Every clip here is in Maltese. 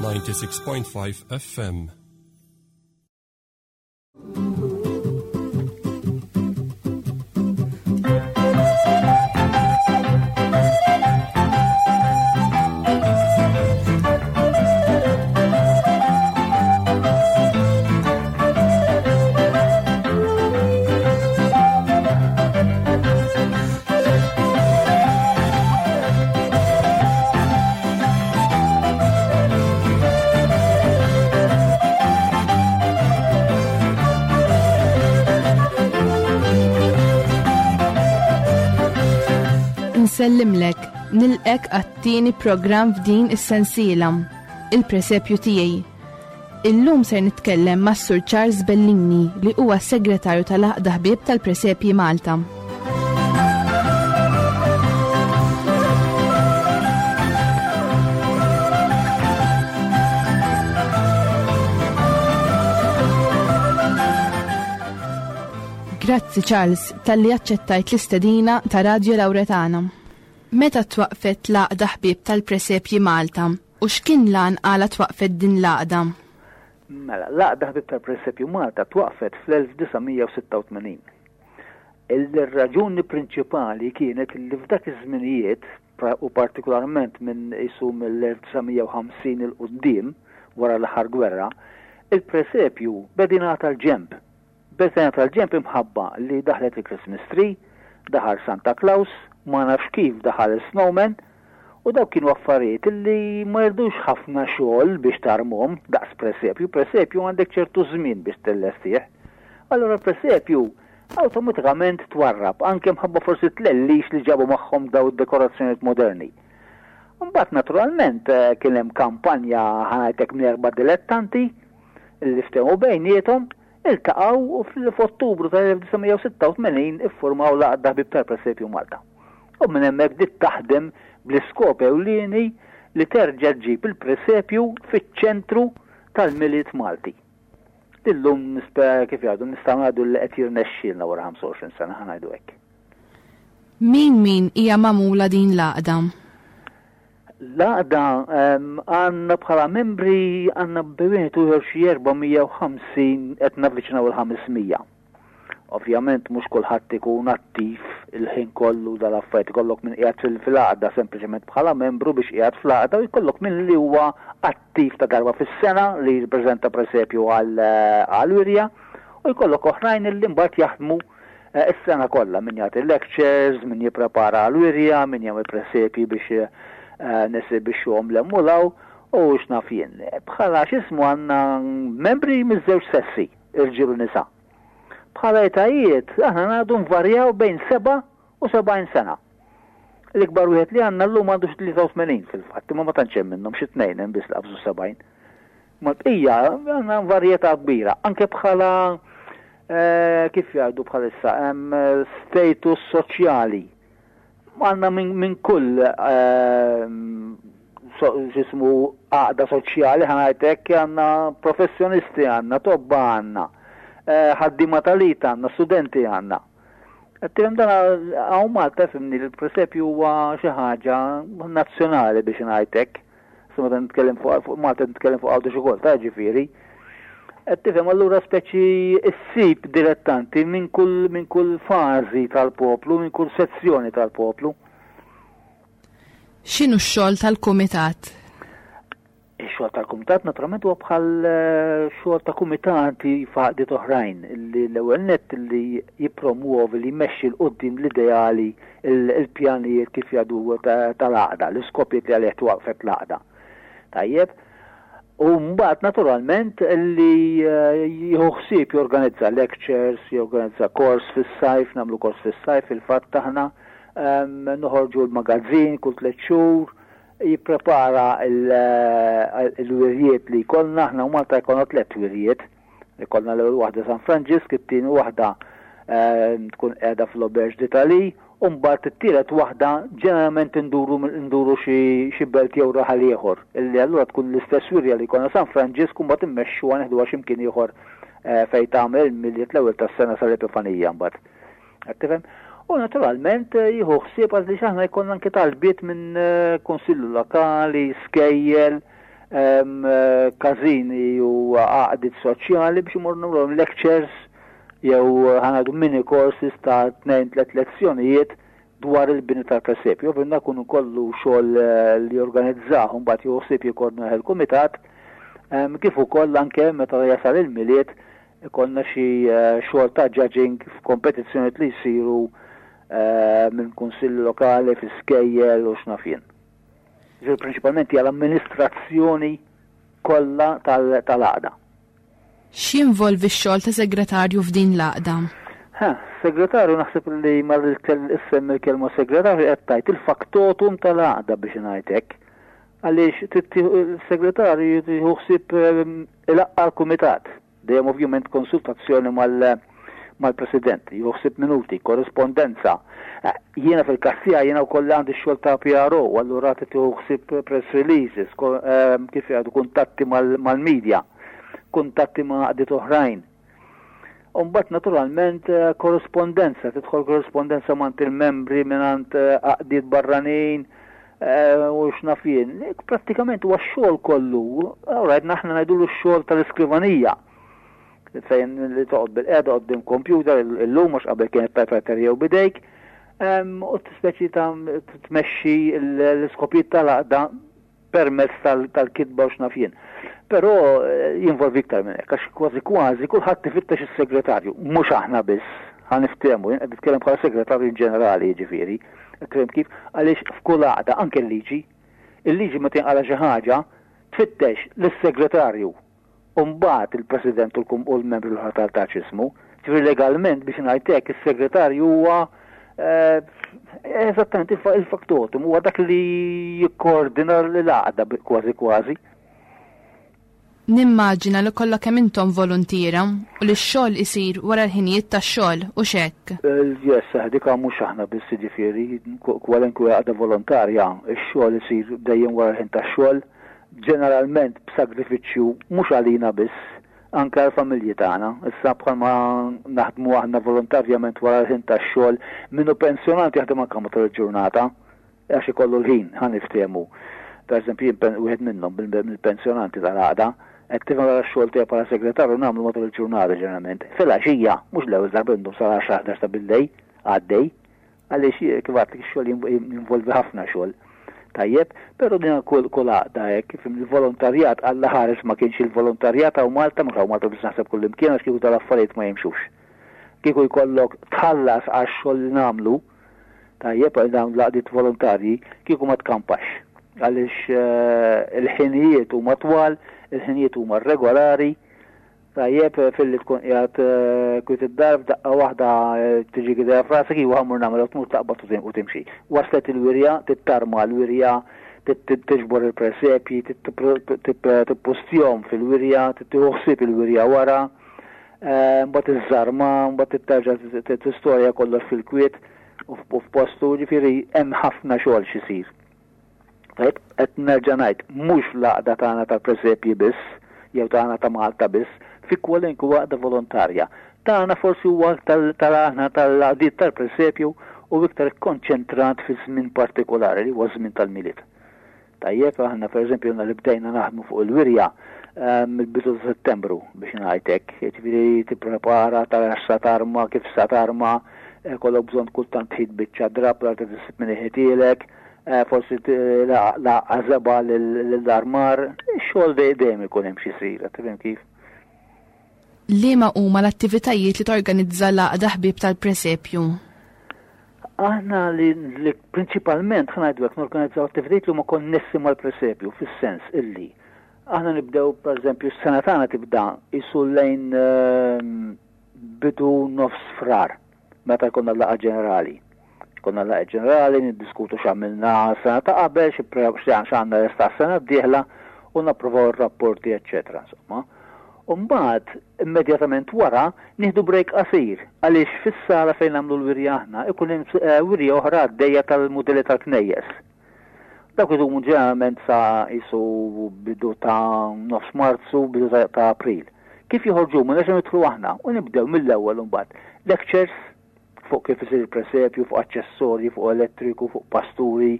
96.5 FM. Nsellimlek, nilqek għat-tieni programm f'din is-sensiela, il-presepju tiegħi. Illum ser nitkellem mas-Sur Charles Bellini li huwa s-Segretarju tal-Għaqda Ħbieb tal-Presepji Malta. Grazzi Charles talli aċċettajt l-istedina ta' Radio Lauretana. Meta twaqqfet l-Għaqda Ħbieb tal-Presepji Malta U x'kien l-għan għala twaqqfet din l-għaqda? Mela, l-Għaqda Ħbieb tal-Presepju Malta twaqqfet fl-1986. Il-raġuni prinċipali kienet li f'dak iż-żminijiet, u partikolarment minn qisu mill-1950 'il quddiem, wara l-aħħar gwerra, il-presepju beda jingħata l-ġenb. Beda jingħata l-ġenb imħabba li daħlet il-Christmas tree, daħal Santa Claus, ma nafx kif daħal is-snowman, U dawk kienu affarijiet li ma jridux ħafna xogħol biex tarmhom daqs presepju. Presepju għandek ċertu żmien biex tillestih. Allura l-presepju awtomatikament twarrab, anke mħabba forsi t-tlellix li ġabu magħhom daw id-dekorazzjonijiet moderni. Imbagħad naturalment kien hemm kampanja ħa ngħidlek minn erba' dilettanti li ftehmu bejniethom Iltaqgħu u f'Ottubru tal-1986 iffurmaw l-Għaqda Ħbieb tal-Presepju Malta. U minn hemmhekk bdiet taħdem bl-iskop ewlieni li terġa' ġġib il-presepju fiċ-ċentru tal-Milied Malti. Li llum nispera kif jgħidu nistgħu ngħidu li qed jirnexxielna wara 25 sena ħa ngħidu hekk. Min min hija magħmula din l-għaqda? L-għaqda għandna bħala membri għandna bejn wieħed u ieħor xi 450 qed navviċinaw il-500. Ovvjament mhux kulħadd ikun attiv il-ħin kollu dal-affarijiet ikollok min qiegħed fil-għaqda sempliċement bħala membru biex qiegħed fl-għaqda u jkollok min li huwa attiv ta' darba fis-sena li jippreżenta presepju għal wirja u jkollok oħrajn li mbagħad jaħdmu Is-sena kollha, min jagħti lectures, min jipprepara għall-wirja, min jagħmel presepji biex nesibixxuhom 'l hemm u 'l hawn, u x'naf jien. Bħala x'ismu għandna membri miż-żewġ sessi, irġiel u nisa. Bħala etajiet, aħna ngħidu nvarjaw bejn 77 sena. L-ikbar wieħed li għandna llum għandu xi 83 fil-fatt, imma ma tantx hemm minnhom, xi tnejn hemm biss li qabżu 70. Mal-bqija għandna varjetà kbira, anke bħala kif jgħidu bħalissa hemm status soċjali. Għandna minn kull x'ismu għaqda soċjali ħa ngħid hekk għandna professjonisti għandna, tobba għandna, ħaddiema tal-it għandna, studenti għandna. Qed tifhem dan hawn Malta fimni l-presepju huwa xi ħaġa nazzjonali biex ngħid hekk. Issa meta nitkellem fuq Malta nitkellem fuq Għawdex ukoll, ta' ġifieri. Qed tifhem allura speċi ssib dilettanti minn kull minn kull fażi tal-poplu, minn kull sezzjoni tal-poplu. X'inhu x-xogħol tal-kumitat? Ix-xogħol tal-kumitat naturalment huwa bħal eh, xogħol ta' kumitati f'għaqdiet oħrajn li l-ewwel nett li jippromwovi li jmexxi l quddiem l-ideali il-pjanijiet kif jgħidu tal-għaqda, l-iskopijiet li għalih twaqfet l-għaqda. Tajjeb, u mbagħad naturalment li eh, jieħu ħsieb jorganizza lectures, jorganizza kors fis-sajf, nagħmlu kors fis-sajf fil-fatt aħna ehm, noħorġu l-magazzin kull tliet xhur, jipprepara eh, l-wirjiet li jkollna, aħna u Malta jkollna tliet wirjiet Ikollna l-ewwel waħda San Franġisk, it-tieni waħda tkun qiegħda fl-Auberge d'Italie, u mbagħad it-tielet waħda ġeneralment induru induru xi belt jew raħal ieħor, illi allura tkun l-istess wirja li jkollna San Franġisk u mbagħad immexxuha neħduha xi mkien ieħor fejn tagħmel il-Milied l-ewwel tas-sena sal-Epifanija mbagħad. Qed tifhem? U naturalment jieħu ħsieb għaliex aħna jkollna anke talbiet minn kunsilli lokali, skejjel. każini u għaqdiet soċjali biex imorru nagħmluhom lectures jew ħa ngħidu mini courses ta' 2-3 lezzjonijiet dwar il-bini tal-presepju. Ovvjament dan ikun kollu xogħol li jorganizzah u mbagħad jieħu ħsieb jikkoordinah il-kumitat, kif ukoll anke meta jasal il-Milied ikollna xi xogħol ta' judging f'kompetizzjonijiet li jsiru minn kunsilli lokali, fi skejjel u x'naf jien. Ġifieri prinċipalment hija l-amministrazzjoni kollha tal-għaqda. X'jinvolvi x-xogħol ta' segretarju f'din l-għaqda? Ha, segretarju naħseb li ma issemmi l-kelma segretarju qed tgħid il-faktotum tal-għaqda biex ngħid hekk. Għaliex il-segretarju jieħu ħsieb ilaqqa' l-kumitat. Dejjem ovvjament konsultazzjoni mal-President, jieħu ħsieb minuti, korrispondenza. Jiena fil-każ tiegħi jiena wkoll għandi x-xogħol ta' PRO, allura trid tieħu ħsieb press releases, kif jgħidu kuntatti mal-media, kuntatti ma' għaqdiet oħrajn. U mbagħad naturalment korrispondenza, tidħol korrispondenza mingħand il-membri, mingħand għaqdiet barranin, u x'naf jien. Prattikament huwa x-xogħol kollu, all right, aħna ngħidulu x-xogħol tal-iskrivanija. Fejn li toqgħod bil-qiegħda quddiem computer illum għax qabel kienet typewriter jew bidejk, u speċi ta' tmexxi l-iskopijiet tal-għaqda permezz tal-kitba u x'naf jien. Però jinvolvi iktar minn hekk, għax kważi kważi kulħadd ifittex is-segretarju, mhux aħna biss, ħa niftehmu, jien qed nitkellem bħala segretarju in ġenerali jiġifieri, qed kif, għaliex f'kull għaqda anke l-liġi, il-liġi meta jinqala xi ħaġa tfittex lis-segretarju u mbagħad il-President u l-membri l-oħra tal-taċismu. Ġifieri legalment biex ngħid hekk is-segretarju huwa eżattament il-faktotum, huwa dak li jikkoordina l-għaqda kważi kważi. Nimmaġina li kollha kemm intom voluntiera u li x-xogħol isir wara l-ħinijiet tax-xogħol u x'hekk. Yes, dik mhux aħna biss jiġifieri, kwalinkwe għaqda volontarja, ix-xogħol isir dejjem wara l-ħin tax-xogħol, ġeneralment b'sagrifiċċju mhux għalina biss, anke għall-familji tagħna. Issa bħalma naħdmu aħna volontarjament wara l-ħin tax-xogħol, min hu pensjonant jaħdem anke matul il-ġurnata, għax ikollu l-ħin, ħa niftehmu. Per eżempju, jien wieħed minnhom mill-pensjonanti tal-għaqda, qed tifhem wara x-xogħol tiegħi bħala segretarju nagħmlu matul il-ġurnata ġeneralment. Filgħaxija, mhux l-ewwel darba indum sal-10 11 ta' billejl għaddej, għaliex kif għedtlek ix-xogħol jinvolvi ħafna xogħol. Tajjeb, però din kull għaqda hekk, kif il-volontarjat Alla ħares ma kienx il-volontarjat hawn Malta, mhux hawn Malta biss naħseb kull imkien għax kieku tal-affarijiet ma jimxux. Kieku jkollok tħallas għax-xogħol li nagħmlu, tajjeb għal dawn l-għaqdiet volontarji, kieku ma tkampax. Għaliex il-ħinijiet huma twal, il-ħinijiet huma regolari, tajjeb filli tkun qiegħed kwiet id-dar f'daqqa waħda tiġi idea f'rasek iwa ħa mmur nagħmel u tmur taqbad u timxi. Waslet il-wirja, tittarma l-wirja, tiġbor il-presepji, tippustjhom fil-wirja, tieħu ħsieb il-wirja wara, mbagħad iżżarma, mbagħad terġa' tistorja kollox fil-kwiet u f'postu, ġifieri hemm ħafna xogħol x'isir. Tajjeb, qed nerġa' ngħid, mhux l-għaqda tagħna tal-presepji biss, jew tagħna ta' Malta biss, fi kwalinkwe għaqda volontarja. Tagħna forsi huwa tal-aħna tal-għaqdiet tal-presepju u iktar ikkonċentrat fi żmien partikolari li huwa żmien tal-Milied. Tajjeb, aħna pereżempju għandna li bdejna naħdmu fuq il-wirja mill-bidu ta' Settembru biex ngħid hekk, jiġifieri tipprepara tara x'sa tarma, kif sa tarma, kollok bżonn kultant tħit biċċa drapp l tisib min iħitielek, forsi laqqa żebgħa lill-armar, ix-xogħol dejjem ikun hemm xi jsir, qed tifhem kif? Liema huma l-attivitajiet li torganizza l-Għaqda Ħbieb tal-Presepju? Aħna li prinċipalment ħa ngħidu hekk norganizzaw attivitajiet li huma konnessi mal-presepju fis-sens illi aħna nibdew pereżempju s-sena tagħna tibda isu lejn bidu nofs Frar meta jkollna l-laqgħa ġenerali. Konna l-laqgħa ġenerali, niddiskutu x'għamilna sena ta' qabel, x'għandna lesta s-sena d-dieħla u napprovaw ir-rapporti, eċċetera, insomma. U mbagħad immedjatament wara nieħdu break qasir għaliex fis-sala fejn nagħmlu l-wirja aħna ikun hemm wirja oħra għaddejja tal-mudelli tal-knejjes. Dawk idumu ġeneralment sa qisu bidu ta' nofs Marzu, bidu ta' April. Kif joħorġu minn nerġgħu nidħlu aħna u nibdew mill-ewwel imbagħad lectures fuq kif isir il-presepju, fuq aċċessorji, fuq elettriku, fuq pasturi,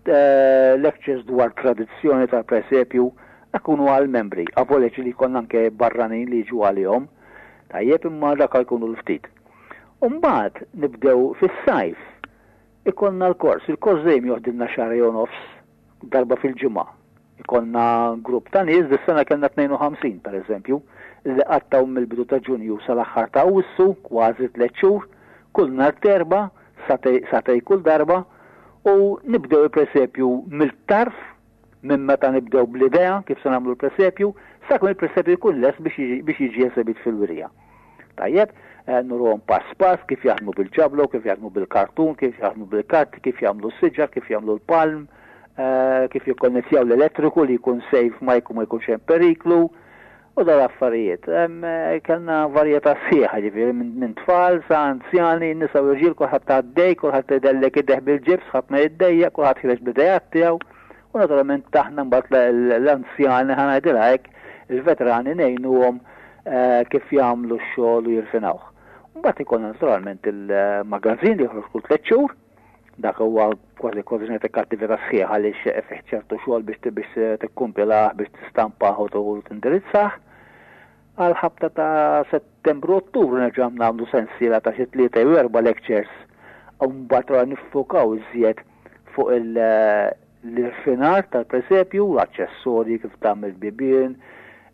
lectures dwar tradizzjoni tal-presepju. Dak ikunu għall-membri, avolja ġieli jkollna anke barranin li jiġu għalihom. Tajjeb imma dak jkunu l-ftit. U mbagħad nibdew fis-sajf ikollna l-kors. Il-kors dejjem joħdilna xahar jew nofs darba fil-ġimgħa. Ikollna grupp ta' nies, dis-sena kellna 52 pereżempju, li qattgħu mill-bidu ta' Ġunju sal-aħħar ta' Awwissu, kważi tlett xhur, kull nhar t'Erbgħa, sagħtej kull darba, u nibdew il-presepju mill-tarf, minn meta nibdew bl-idea kif se nagħmlu l-presepju, sakemm il-presepju jkun lest biex jiġi esebit fil-wirja. Tajjeb, eh, nuruhom pass pass kif jaħdmu bil-ġablo, kif jaħdmu bil-kartun, kif jaħdmu bil-karti, kif jagħmlu s-siġar, kif jagħmlu l-palm, eh, kif jikkonnettjaw l-elettriku li jkun safe ma jkun ma jkunx hemm periklu u dal affarijiet. Eh, kellna varjetà sħiħa ġifieri minn tfal sa anzjani, nisa u rġiel, kulħadd għaddej, kulħadd idellek ideh bil-ġibs, ħadd ma jiddejjaq, kulħadd ħireġ bl-idejat tiegħu. U naturalment taħna mbagħad l-anzjani ħa ngħidilha hekk, il-veterani ngħinuhom eh, kif jagħmlu x-xogħol u jirfinawh. Mbagħad ikollna naturalment il-magazin li joħroġ kull tliet xhur, dak huwa kważi kważi ngħidlek attività sħiħa għaliex fih ċertu xogħol biex biex tikkumpilah, biex tistampah u tindirizzah. Għal ħabta ta' Settembru Ottubru nerġa' nagħmlu sensiela ta' xi tlieta jew erba' lectures u mbagħad niffokaw iżjed fuq l-irfinar tal-presepju, l-aċċessorji kif tagħmel bibien,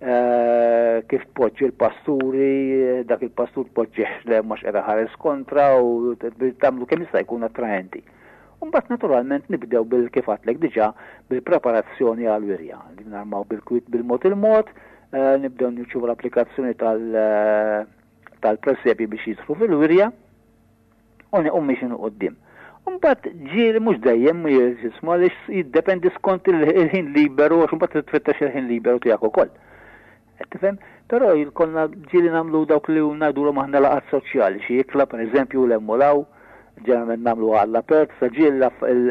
eh, kif tpoġġi l-pasturi, dak il-pastur tpoġġih le mhux qiegħda ħares kontra u tagħmlu kemm jista' jkun attraenti. Mbagħad naturalment nibdew bil kif għadtlek diġà bil-preparazzjoni għal-wirja. Narmaw bil-kwit bil-mod il-mod, eh, nibdew nirċievu l-applikazzjoni tal- eh, tal-presepji biex jidħlu fil-wirja u niequ mixin 'il quddiem. Imbagħad ġieli mhux dejjem jisma' għaliex jiddependi skont il-ħin liberu għax imbagħad tfittex il-ħin liberu tiegħek ukoll. Qed tifhem? Però jkollna ġieli nagħmlu dawk li ngħidulhom aħna laqgħat soċjali, xi ikla pereżempju l hemm u l-hawn, ġeneralment nagħmluha għall-apert, sa ġieli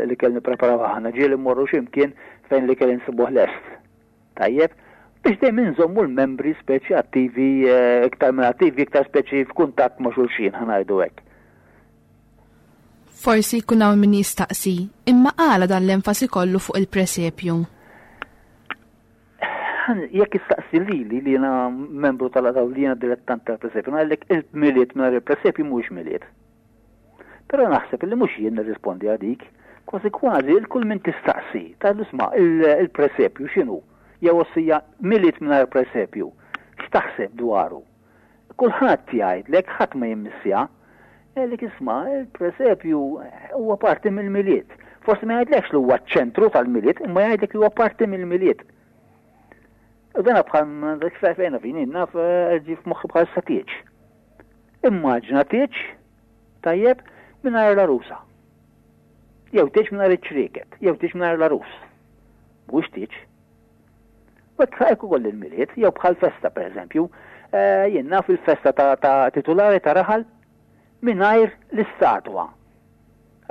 l-ikel nippreparaw aħna, ġieli mmorru xi mkien fejn l-ikel insibuh lest. Tajjeb, biex dejjem inżommu l-membri speċi attivi, eh, iktar minn attivi, iktar speċi f'kuntatt ma' xulxin, ħanajdu hekk. Forsi jkun hawn min jistaqsi, imma għala dan l-enfasi kollu fuq il-presepju? Jekk istaqsi lili li jiena membru tal-għadaw li jiena dilettant tal-presepju, ngħidlek il-miliet mingħajr il-presepju mhuwiex miliet. Però naħseb li mhux jien nirrispondi għal dik. Kważi kważi il kull min tistaqsi, tgħidlu isma' il-presepju x'inhu? Jew ossija Milied mingħajr presepju, x'taħseb dwaru? Kulħadd jgħidlek, ħadd ma jimmissja. Jgħidlek isma' il-presepju huwa parti mill-Milied. Forsi ma jgħidlekx li huwa ċ-ċentru tal-Milied, imma jgħidlek li huwa parti mill-Milied. U dana bħal fejn fejn naf eh, ġi f'moħħi bħal satieċ. Immaġina tieġ tajjeb mingħajr l-għarusa. Jew tieġ mingħajr iċ-ċrieket, jew tieġ mingħajr l-għarus. Mhuwiex tieġ. U hekk hekk ukoll il-Milied, jew bħal festa pereżempju, eh, jien naf il-festa ta' titulari ta' raħal mingħajr l-istatwa.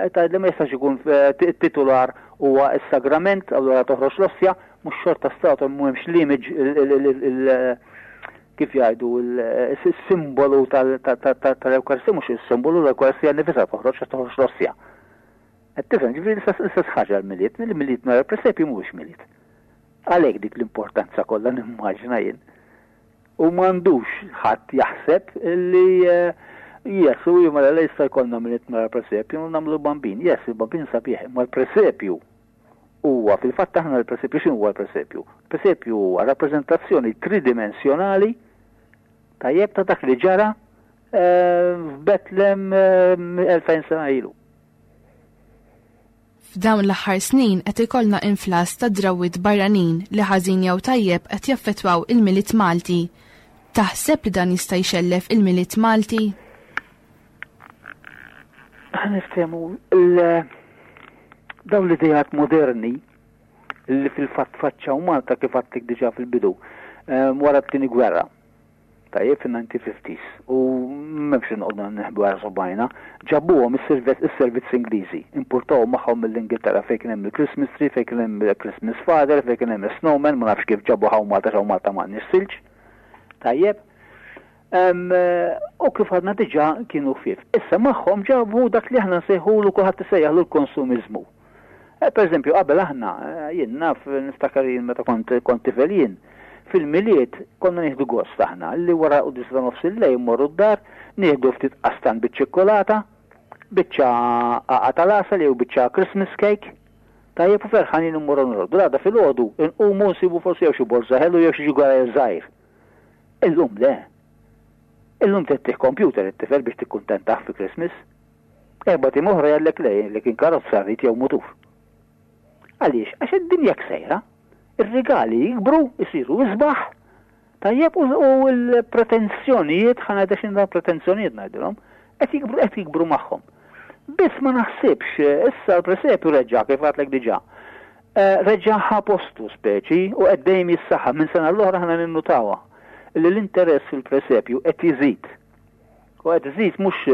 Tgħid li ma jistax ikun eh, titular huwa s-sagrament, allura toħroġ l-ossja, mhux xorta statwa m'hemmx l-image kif jgħidu il-simbolu tal-Ewkaristia, mhux il-simbolu l-Ewkaristia nifisha toħroġ toħroġ l-ossja. Qed tifhem, ġifieri l-istess ħaġa l-Milied, il-Milied nhar il-presepju mhuwiex Milied. Għalhekk dik l-importanza kollha nimmaġina jien. U m'għandux ħadd jaħseb li eh, yes, u mela la jista' jkollna Milied nhar il-presepju nagħmlu bambin. Yes, il-bambin sabiħ, imma l-presepju huwa fil-fatt aħna l-presepju x'inhu huwa l-presepju? Il-presepju huwa rappreżentazzjoni tridimensjonali tajjeb ta' dak li ġara eh, f'Betlem 2000 eh, sena ilu. F'dawn l-aħħar snin qed ikollna inflass ta' drawwiet barranin li ħażin jew tajjeb qed jaffettwaw il-Milied Malti. Taħseb li dan jista' jxellef il-Milied Malti? Ħa niftehmu dawn l-ideat moderni li fil-fatt faċċaw Malta kif għadtlek diġà fil-bidu eh, wara t-tieni gwerra. Tajjeb fin-1950s u m'hemmx inqogħdu neħbu għal subajna, ġabuhom is-servizz Ingliżi, importawhom magħhom mill-Ingilterra fejn kien hemm il-Christmas tree, fejn kien hemm il-Christmas father, fejn kien hemm is-snowman, ma nafx kif ġabu hawn Malta x'hawn Malta m'għandniex silġ. Tajjeb. U kif għadna diġà kienu ħfief. Issa magħhom ġabu dak li aħna nsejħulu kulħadd isejjaħlu l-konsumiżmu. Eh, per eżempju, qabel aħna, eh, jien naf, niftakar jien meta kont kont tifel jien, fil-Milied konna nieħdu gost aħna li wara quddiesa ta' nofs il-lejl mmorru d-dar, nieħdu ftit qastan biċ-ċikkulata, biċċa għaqa tal-għasel jew biċċa Christmas cake, tajjeb u ferħanin immorru norqdu. L-għada filgħodu nqumu nsibu forsi jew xi borża ħelu jew xi ġugarel żgħir. Illum le. Illum trid tih computer it-tifel biex tikkuntentah fi Christmas. Erbat ijiem oħra jgħidlek le, li kien karozza rrid jew mutur. Għaliex? Għax id-dinja hekk sejra. Ir-rigali jikbru, isiru isbaħ, tajjeb u l-pretensjonijiet, ħa ngħidha x'inhu pretensjonijiet ngħidilhom, qed jikbru qed jikbru magħhom. Biss ma naħsibx, issa l-presepju reġa' kif għadlek diġà. Eh, reġa' ħa postu speċi u qed dejjem jissaħħa minn sena l-oħra ħana ninnutawha li l-interess fil-presepju qed jiżid. U qed iżid mhux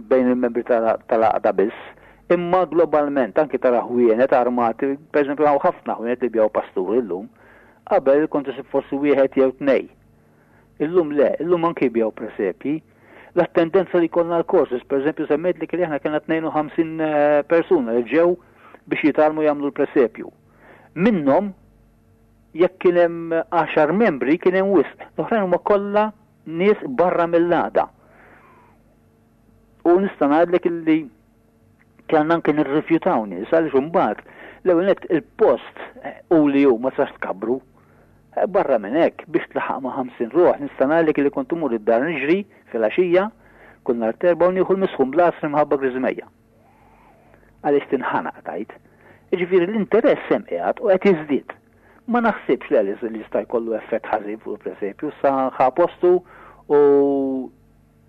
bejn il-membri tal-għaqda biss, imma globalment anki tara ħwienet armati, pereżempju hawn ħafna ħwienet li jbigħu pasturi llum. Qabel kont isib forsi wieħed jew tnej. Illum le, illum anki jbigħu presepji. L-attendenza li jkollna l-courses, pereżempju semmejtlek li aħna kellna 52 persuna li ġew biex jitgħallmu jagħmlu l-presepju. Minnhom jekk kien hemm għaxar membri kien hemm wisq, l-oħrajn huma kollha nies barra mill-għaqda. U nista' ngħidlek illi kellna anke nirrifjutaw nies għaliex imbagħad l-ewwel nett il-post eh, u li hu ma tistax tkabbru. Eh, barra minn hekk biex tlaħaq ma' 50 ruħ nista' ngħidlek li kont imur id-dar niġri filgħaxija kull nhar terba' u nieħu l-misħun bl-għasri mħabba griżmejja. Għaliex tinħanaq tgħid. Jiġifieri l-interess hemm qiegħed u qed jiżdied. Ma naħsibx le li jista' jkollu effett ħażin fuq il-presepju, sa ħa postu u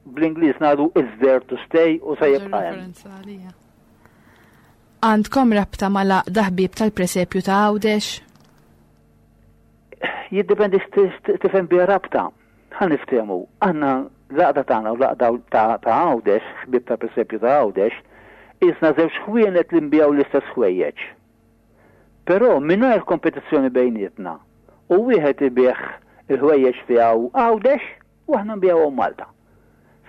bl-Ingliż ngħidu it's there to stay u se jibqa' hemm. Għandkom rabta mal-Għaqda Ħbieb tal-Presepju ta' Għawdex? Jiddependi x'tifhem biha rabta. Ħa niftehmu, aħna l-għaqda tagħna u l-għaqda ta' Għawdex, Ħbieb tal-Presepju ta' Għawdex, qisna żewġ ħwienet li nbigħu l-istess ħwejjeġ. Però mingħajr kompetizzjoni bejnietna u wieħed ibigħ il-ħwejjeġ tiegħu Għawdex u aħna nbigħuhom Malta.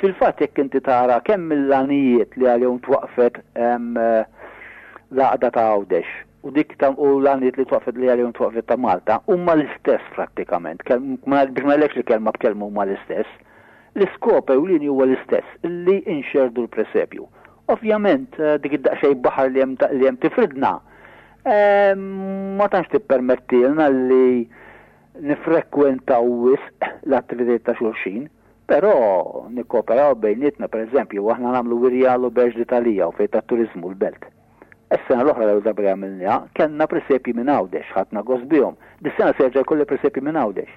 Fil-fatt jekk inti tara kemm mill-għanijiet li għalihom twaqqfet l-għaqda ta' Għawdex u dik ta' u l-għanijiet li twaqqfet li għalihom twaqqfet ta' Malta huma l-istess prattikament, biex ma ngħidlekx li kelma b'kelma huma l-istess. L-iskop ewlieni huwa l-istess, li nxerrdu l-presepju. Ovvjament dik id-daqsxejn baħar li hemm li hemm tifridna ma tantx tippermettilna li nifrekwentaw wisq l-attivitajiet ta' xulxin, però nikkooperaw bejnietna, pereżempju, aħna nagħmlu wirja l-Auberge d'Italia u fejn tat-turiżmu l-Belt. Is-sena l-oħra l-ewwel darba li għamilniha, kellna presepji minn Għawdex, ħadna gost bihom. Dis-sena se jerġa' jkolli presepji minn Għawdex.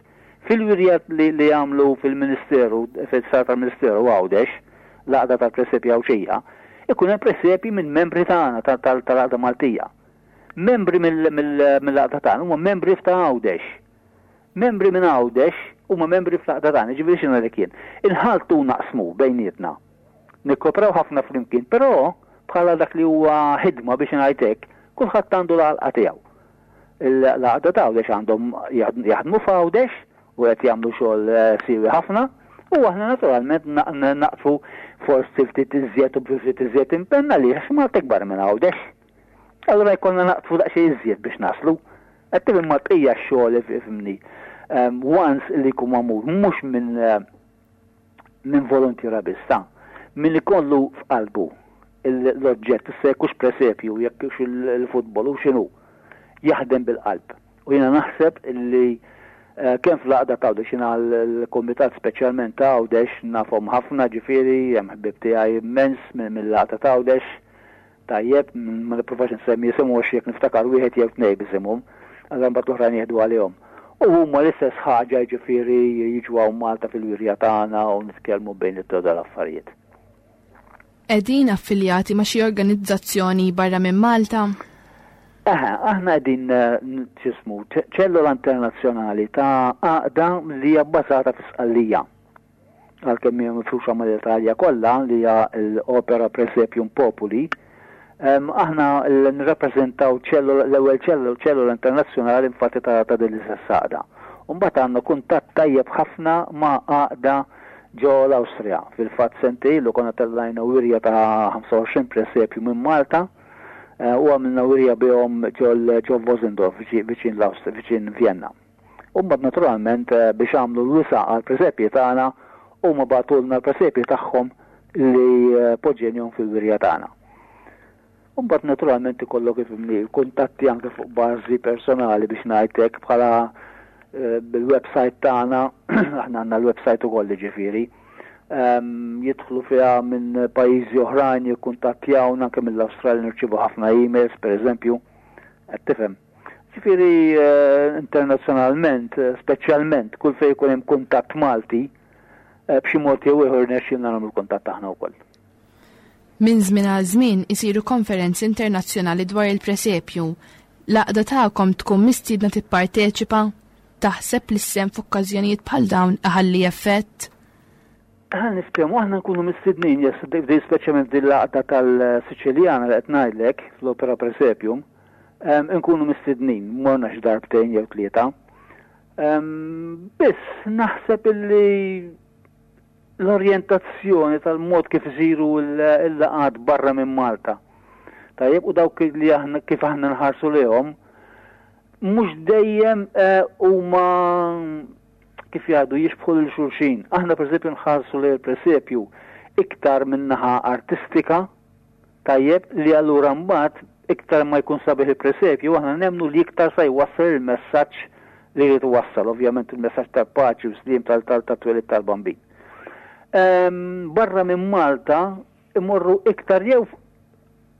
Fil-wirja li li għamlu fil-Ministeru, fis-sala tal-Ministeru Għawdex, l-Għaqda tal-Presepji Għawdxija, ikun hemm presepji minn membri tagħna tal-Għaqda Maltija. Membri mill-għaqda tagħna huma membri f'ta' Għawdex. Membri minn Għawdex huma membri fl-għaqda tagħna, jiġifieri x'inhu ngħidlek jien. Inħalltu u naqsmu bejnietna. Nikkopraw ħafna flimkien, però bħala dak li huwa ħidma biex ngħid hekk, kulħadd għandu l-għalqa tiegħu. L-għaqda ta' Għawdex għandhom jaħdmu f'Għawdex u qed jagħmlu xogħol eh, siewi ħafna u aħna naturalment naqfu forsi ftit iżjed u ftit iżjed impenn għaliex Malta ikbar minn Għawdex. Allura jkollna naqtfu daqsxejn iżjed biex naslu. Qed tifhem ma bqija x-xogħol ifhimni. Ehm, once li jkun magħmul mhux minn eh, minn volontiera biss ta' min ikollu f'qalbu l-oġġett, issa jekk hux presepju, jekk hux il-futbol u x'inhu, jaħdem bil-qalb. U jiena naħseb li eh, kemm fl-għaqda ta' Għawdex jiena l-kumitat speċjalment ta' Għawdex nafhom ħafna ġifieri hemm ħbieb tiegħi immens mill-għaqda ta' Għawdex Tajjeb, ma nippruvax insemmi isimhom għax jekk niftakar wieħed jew tnejn b'isimhom, allura mbagħad l-oħrajn jieħdu għalihom. U huma l-istess ħaġa jiġifieri jiġu hawn Malta fil-wirja tagħna u nitkellmu bejnietna dwar l-affarijiet. Qegħdin affiljati ma' xi organizzazzjoni barra minn Malta? Eħe, aħna qegħdin x'ismu, ċellola internazzjonali ta' għaqda li hija bbażata fi Sqallija. għalkemm hija mifruxa mal-Italja kollha, li hija l-Opera Presepium Populi, aħna nirrappreżentaw l-ewwel ċellula internazzjonali infatti ta' din l-istess għaqda. U mbagħad għandna kuntatt tajjeb ħafna ma' għaqda ġo l-Awstrija. Fil-fatt sentejn ilu konna tellajna wirja ta' 25 presepju minn Malta. U għamilna wirja bihom ġol ġo Vosendorf viċin l-Awstrija, viċin Vienna. U mbagħad naturalment biex għamlu l-wisa' għall-presepji tagħna huma bagħtulna l-presepji tagħhom li poġġejnihom fil-wirja tagħna. U mbagħad naturalment ikollok ifhimni kuntatti anke fuq bażi personali biex ngħid hekk bħala eh, bil-website tagħna, aħna għandna l-website ukoll ġifieri. Ehm, jidħlu fiha minn pajjiżi oħrajn jikkuntattjawna anke mill-Awstralja nirċievu ħafna emails pereżempju. Qed tifhem. Ġifieri eh, internazzjonalment, eh, speċjalment kull fejn ikun hemm kuntatt Malti, b'xi mod jew ieħor nexxilna nagħmlu kuntatt aħna wkoll. Minn żmien għal żmien isiru konferenzi internazzjonali dwar il-presepju. L-għaqda tagħkom tkun mistiedna tipparteċipa? Taħseb li s-sehem f'okkażjonijiet bħal dawn iħalli effett? Ħa niftehmu, aħna nkunu mistednin, yes, speċjalment din l-għaqda tal-Siċiljana li qed ngħidlek fl-Opera Presepium, nkunu mistednin, morna xi darbtejn jew tlieta. Biss naħseb illi l-orjentazzjoni tal-mod kif isiru l-laqgħat barra minn Malta. Tajjeb, u dawk li aħna kif aħna nħarsu lehom, mhux dejjem eh, huma kif jgħidu jixbħu lil xulxin. Aħna pereżempju nħarsu lejn il-presepju iktar min-naħa artistika, Tajjeb li allura mbagħad iktar ma jkun sabiħ il-presepju aħna nemmnu li iktar sa jwassal il-messaġġ li jrid iwassal, ovvjament il-messaġġ tal-paċi u sliem tat-twelid tal-Bambin. Ehm, barra minn Malta imorru iktar jew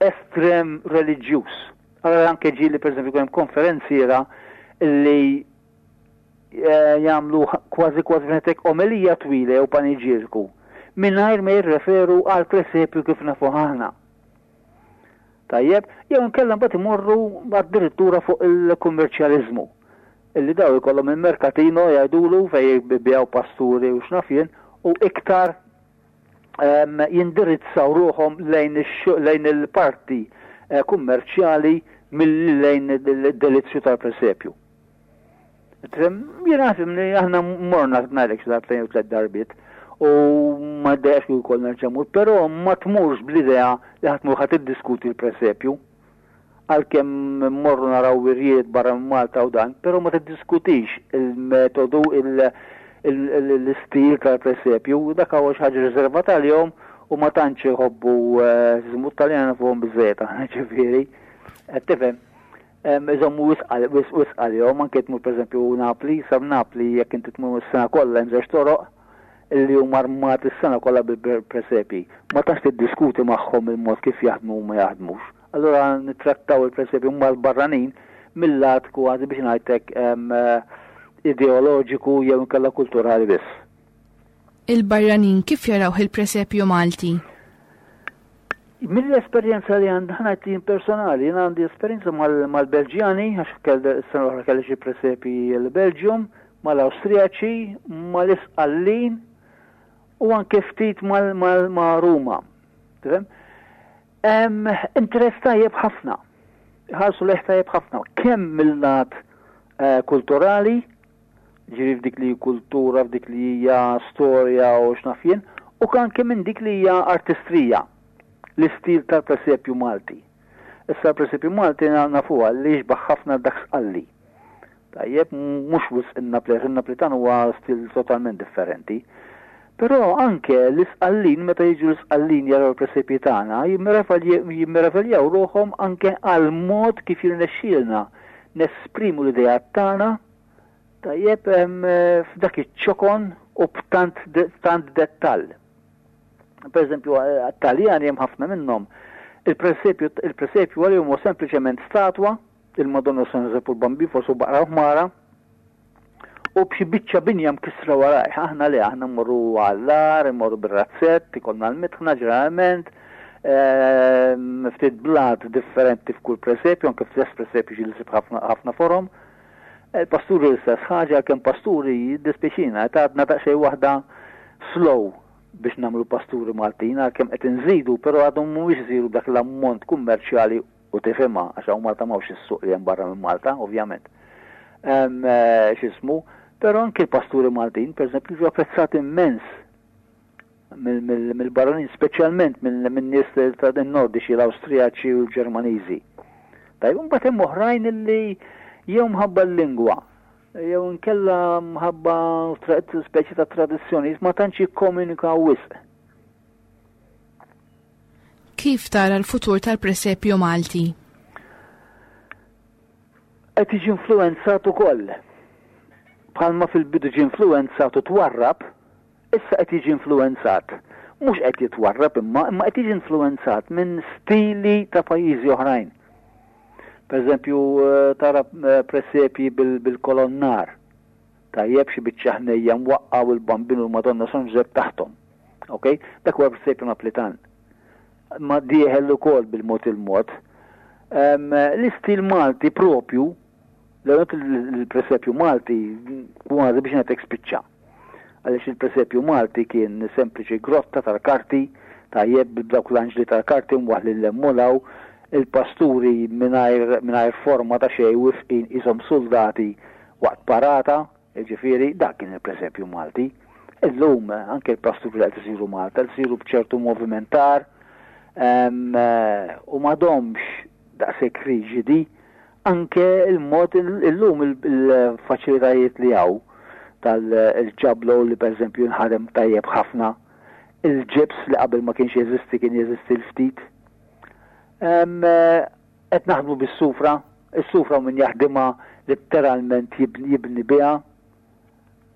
estrem reliġjuż. Allora anke ġieli pereżempju hemm konferenziera li eh, jagħmlu kważi kważi fnetek omelija twila jew paniġierku mingħajr ma jirreferu għal presepju kif nafu aħna. Tajjeb, jew inkella mbagħad imorru addirittura fuq il-kummerċjaliżmu. Illi daw ikollhom il-merkatino jgħidulu fejn jibbijaw pasturi u x'naf jien u iktar jindirizzaw ruħhom lejn il-parti eh, kummerċjali milli lejn il-delizzju tal-presepju. Jiena li aħna morna ngħidlek xi darbtejn u tliet darbiet u ma ddejjaqx li wkoll nerġa' mur, però ma tmurx bl-idea li ħadd mur ħadd iddiskuti l-presepju. Għalkemm mmorru naraw wirjiet barra minn Malta u dan, però ma tiddiskutix il-metodu, l-istil tal-presepju, dak huwa xi ħaġa riservata għalihom u ma tantx iħobbu żmu eh, t-Taljana nafuhom biżejjed aħna ġifieri. Qed tifhem? Iżommu wisq wisq għalihom, anke tmur pereżempju Napli, sa Napli jekk inti tmur is-sena kollha hemm żewġ toroq li huma armati s-sena kollha bil-presepji. Ma tantx tiddiskuti magħhom il-mod kif jaħdmu u ma jaħdmux. Allura nittrattaw il-presepju mal-barranin mill-lat kważi biex ngħidlek ideoloġiku jew inkella kulturali biss. Il-barranin kif jarawh il-presepju Malti? Mill-esperjenza li għandi ħa ngħid jien personali, jien għandi esperjenza mal-Belġjani, għax is-sena l-oħra kelli xi presepi l-Belġium, mal-Awstrijaċi, mal-Isqallin u anke ftit ma' Ruma. Tifhem? Interess tajjeb ħafna. Ħarsu leħ tajjeb ħafna. Kemm mill-lat eh, kulturali, ġifieri f'dik li hi kultura, f'dik li hija storja u x'naf jien, u anke minn dik li hija artistrija, l-istil tal-presepju Malti. Issa l-presepju Malti nafuha li jixbah ħafna dak Sqalli. Tajjeb, mhux wisq in-Naplitan, in-Naplitan huwa stil totalment differenti. Però anke l-Isqallin meta jiġu l-Isqallin jaraw il-presepji tagħna jimmeraviljaw ruħhom anke għall-mod kif jirnexxielna nesprimu l-ideat tagħna Tajjeb, f'dak iċ-ċokon u b'tant tant dettall. Per eżempju, Taljani hemm ħafna minnhom. Il-presepju il-presepju għalihom huwa sempliċement statwa, il-Madonna San Ġużepp u l-Bambin forsi u baqra u ħmara, u b'xi biċċa binja mkissra warajh. Aħna le, aħna mmorru għall-ar, immorru bir-razzett, ikollna l-mitħna ġeneralment, ftit blat differenti f'kull presepju, anke fl-istess presepju ġieli ssib ħafna forom. Il-pasturi l-istess ħaġa, għalkemm pasturi jiddispjaċina qed għadna daqsxejn waħda slow biex nagħmlu pasturi Maltin, għalkemm qed inżidu, però għadhom mhumiex isiru b'dak l-ammont kummerċjali u tifhimha għax hawn Malta m'hawnx is-suq li hemm barra minn Malta, ovvjament. X'ismu, però anke l-pasturi Maltin, pereżempju, jiġu apprezzati immens. mill-barranin, speċjalment minn nies ta' nordiċi, l-Awstrijaċi u l-Ġermaniżi. Tajjeb, imbagħad hemm oħrajn li jew mħabba l-lingwa, jew inkella mħabba speċi ta' tradizzjoni, ma tantx jikkomunikaw wisq. Kif tara l-futur tal-presepju Malti? Qed jiġi influwenzat ukoll. Bħalma fil-bidu ġie influwenzat u twarrab, issa qed jiġi influwenzat. Mhux qed jitwarrab imma, imma qed jiġi influwenzat minn stili ta' pajjiżi oħrajn. Per eżempju, tara presepji bil-kolonnar. Tajjeb xi biċċa ħnejja mwaqqa' u l-Bambin u l-Madonna San Ġużepp taħthom. Ok? Dak huwa presepju Naplitan. Ma dieħel ukoll bil-mod il-mod. L-istil Malti propju, l-presepju Malti kważi biex ngħidlek spiċċa. Għaliex il-presepju Malti kien sempliċi grotta tal-karti, tajjeb b'dawk l-anġli tal-karti mwaħħlin 'l hemm u 'l hawn, il-pasturi mingħajr forma ta' xejn wifqin qishom suldati waqt parata, jiġifieri dak kien il-presepju Malti. Illum anke l-pasturi li qed isiru Malta qed isiru b'ċertu movimentar u m'għadhomx daqshekk riġidi anke il-mod illum il-faċilitajiet li hawn tal-ġablo li pereżempju jinħadem tajjeb ħafna, il-ġibs li qabel ma kienx jeżisti kien jeżisti l-ftit. Qed naħdmu bis-sufra, is-sufra min jaħdimha letteralment jibni biha.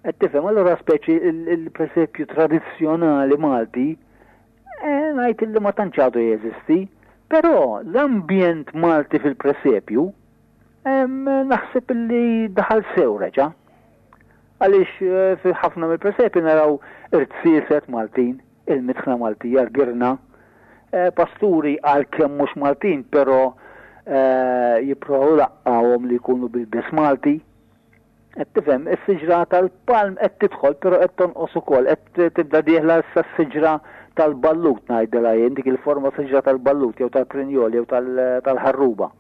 Qed tifhem, allura speċi il-presepju tradizzjonali Malti eh, ngħid li ma tantx għadu jeżisti, però l-ambjent Malti fil-presepju naħseb li daħal sew reġa'. Għaliex eh, fi ħafna mill-presepju naraw irtsieset Maltin, il-mitħna Maltija, l-girna, eh, pasturi għalkemm mhux Maltin, però eh, jipprovaw laqqawhom li jkunu bil-biss Malti. Qed tifhem, is-siġra tal-palm qed tidħol però qed tonqos ukoll, qed tibda dieħla issa s-siġra tal-ballut ngħidilha jien, dik il-forma siġra tal-ballut jew tal-prinjol jew tal-ħarruba.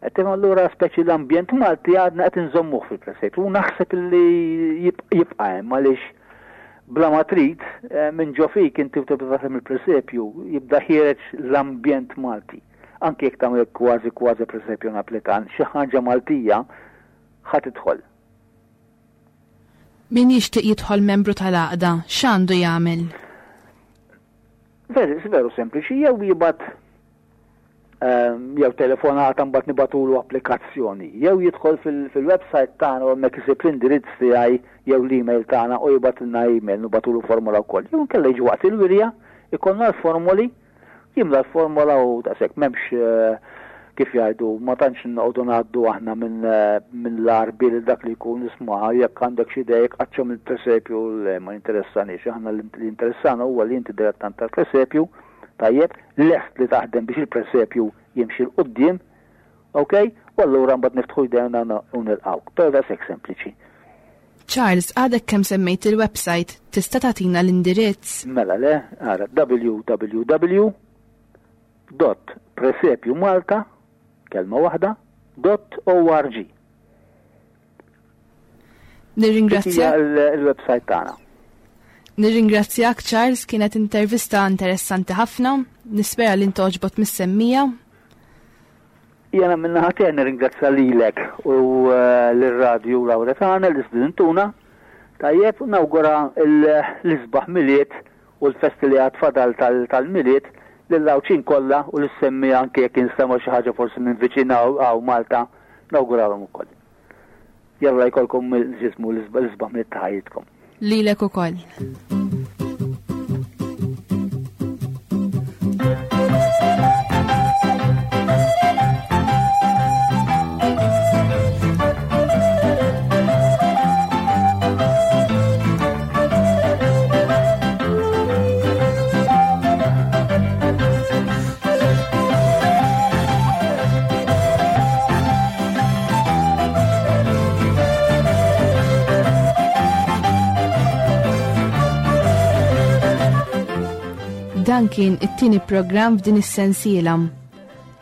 Qed tifhem allura speċi l-ambjent Malti għadna qed inżommuh fil-presepju u naħseb li jibqa' hemm għaliex bla ma trid eh, minn ġo fik inti u tibda taħdem il-presepju jibda ħiereġ l-ambjent Malti. Anke jekk tagħmel kważi kważi presepju Naplitan, xi ħaġa Maltija ħa tidħol. Min jixtieq jidħol membru tal-għaqda, x'għandu jagħmel? Veru, veru sempliċi, jew jibgħat ehm, jew telefonata mbagħad nibatulu applikazzjoni, jew jidħol fil-website tagħna u hemmhekk isib l-indirizz tiegħi jew l-email tagħna u jibgħatilna email nibatulu formola wkoll. Jew inkella jiġi waqt il-wirja, ikollna l-formoli Jimla l-formola u daqshekk m'hemmx eh, kif jgħidu, ma tantx noqogħdu ngħaddu aħna minn eh, min l-arbi li dak li jkun isma' jekk għandek xi idea jekk qaċċhom il-presepju le ma jinteressanix. Aħna li interessana huwa li inti dilettant tal-presepju, tajjeb, lest li taħdem biex il-presepju jimxi 'l quddiem, Ok? U allura mbagħad niftħu jdejna u nilqgħuk. Però daqshekk sempliċi. Charles, għadek kemm semmejt il-website, tista' tagħtina l-indirizz? Mela le, ara www dot presepjumalta kelma waħda dot org. Nirringrazzjak. Il-website tagħna. Nirringrazzjak Charles, kienet intervista interessanti ħafna, nispera li ntoġbot mis-semmija. Jena minna ħatija nirringrazzja lilek u eh, l-radju Lauretana li stidintuna. Tajjeb, nawgura l-isbaħ miliet u l-festi li għad fadal tal-miliet lill-Għawdxin kollha u lis-semmi anke jekk jinstema' xi ħaġa forsi minn viċin hawn Malta, nawguralhom ukoll. Jalla jkollkom ġismu l-isbaħ miliet ta' ħajjitkom. Lilek ukoll. Dan kien it-tieni programm f'din is-sensiela.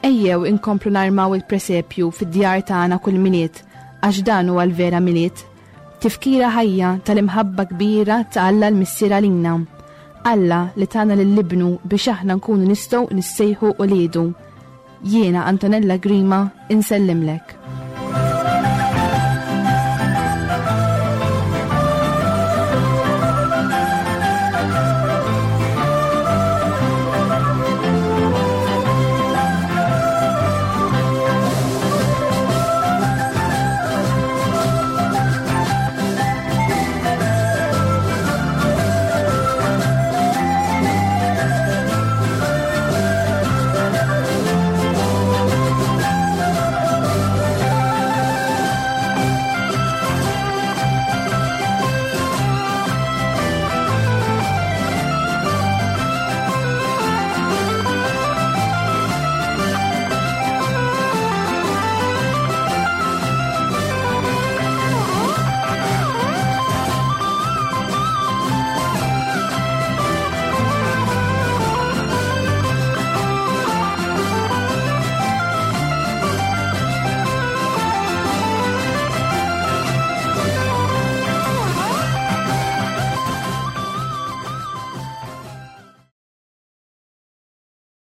Ejjew inkomplu narmaw il-presepju fid-djar tagħna kull Milied għax dan huwa l-vera Milied. Tifkira ħajja tal-imħabba kbira ta' Alla l-Missier għalina. Alla li tana lil Ibnu biex aħna nkunu nistgħu nissejħu uliedu. Jiena Antonella Grima insellimlek.